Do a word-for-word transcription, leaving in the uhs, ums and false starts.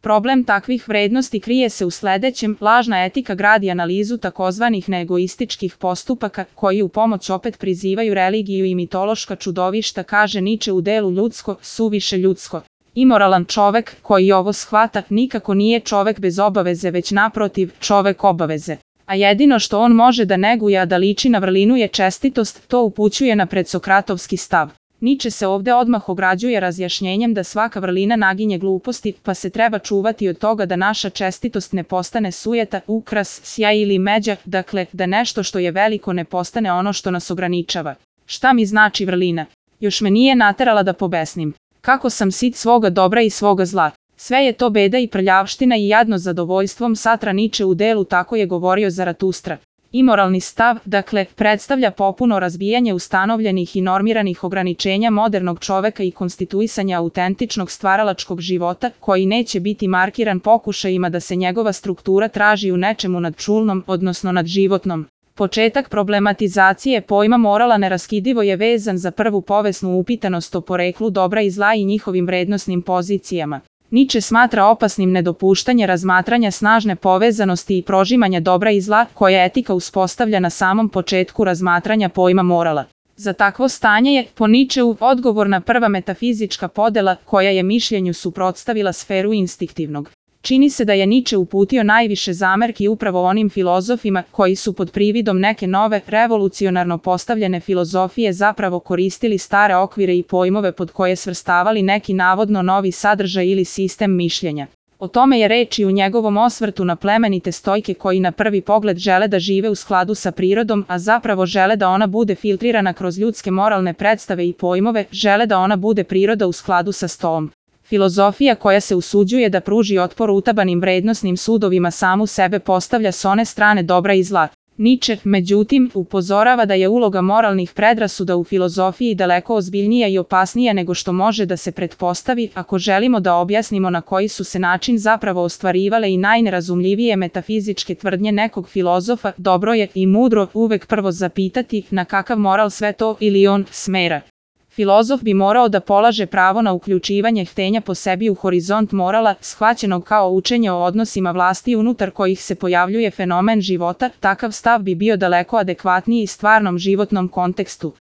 Problem takvih vrednosti krije se u sledećem: lažna etika gradi analizu takozvanih neegoističkih postupaka, koji u pomoć opet prizivaju religiju i mitološka čudovišta, kaže Niče u delu Ljudsko, suviše ljudsko. Imoralan čovek, koji ovo shvata, nikako nije čovek bez obaveze, već naprotiv, čovek obaveze. A jedino što on može da neguje, a da liči na vrlinu, je čestitost, to upućuje na predsokratovski stav. Niče se ovde odmah ograđuje razjašnjenjem da svaka vrlina naginje gluposti, pa se treba čuvati od toga da naša čestitost ne postane sujeta, ukras, sjaj ili međa, dakle, da nešto što je veliko ne postane ono što nas ograničava. Šta mi znači vrlina? Još me nije naterala da pobesnim. Kako sam sit svoga dobra i svoga zla. Sve je to beda i prljavština i jadno zadovoljstvom, satra Niče u delu Tako je govorio Zaratustra. Imoralni stav, dakle, predstavlja popuno razbijanje ustanovljenih i normiranih ograničenja modernog čoveka i konstituisanja autentičnog stvaralačkog života, koji neće biti markiran pokušajima da se njegova struktura traži u nečemu nadčulnom, odnosno nadživotnom. Početak problematizacije pojma morala neraskidivo je vezan za prvu povesnu upitanost o poreklu dobra i zla i njihovim vrednosnim pozicijama. Niče smatra opasnim nedopuštanje razmatranja snažne povezanosti i prožimanja dobra i zla, koja etika uspostavlja na samom početku razmatranja pojma morala. Za takvo stanje je, po Ničeu, odgovorna prva metafizička podela, koja je mišljenju suprotstavila sferu instinktivnog. Čini se da je Niče uputio najviše zamerki upravo onim filozofima koji su pod prividom neke nove, revolucionarno postavljene filozofije zapravo koristili stare okvire i pojmove pod koje svrstavali neki navodno novi sadržaj ili sistem mišljenja. O tome je reč i u njegovom osvrtu na plemenite stojke koji na prvi pogled žele da žive u skladu sa prirodom, a zapravo žele da ona bude filtrirana kroz ljudske moralne predstave i pojmove, žele da ona bude priroda u skladu sa stoom. Filozofija koja se usuđuje da pruži otpor utabanim vrednosnim sudovima samu sebe postavlja s one strane dobra i zla. Niče, međutim, upozorava da je uloga moralnih predrasuda u filozofiji daleko ozbiljnija i opasnija nego što može da se pretpostavi, ako želimo da objasnimo na koji su se način zapravo ostvarivale i najnerazumljivije metafizičke tvrdnje nekog filozofa. Dobro je i mudro uvek prvo zapitati na kakav moral sve to ili on smera. Filozof bi morao da polaže pravo na uključivanje htenja po sebi u horizont morala, shvaćenog kao učenje o odnosima vlasti unutar kojih se pojavljuje fenomen života. Takav stav bi bio daleko adekvatniji stvarnom životnom kontekstu.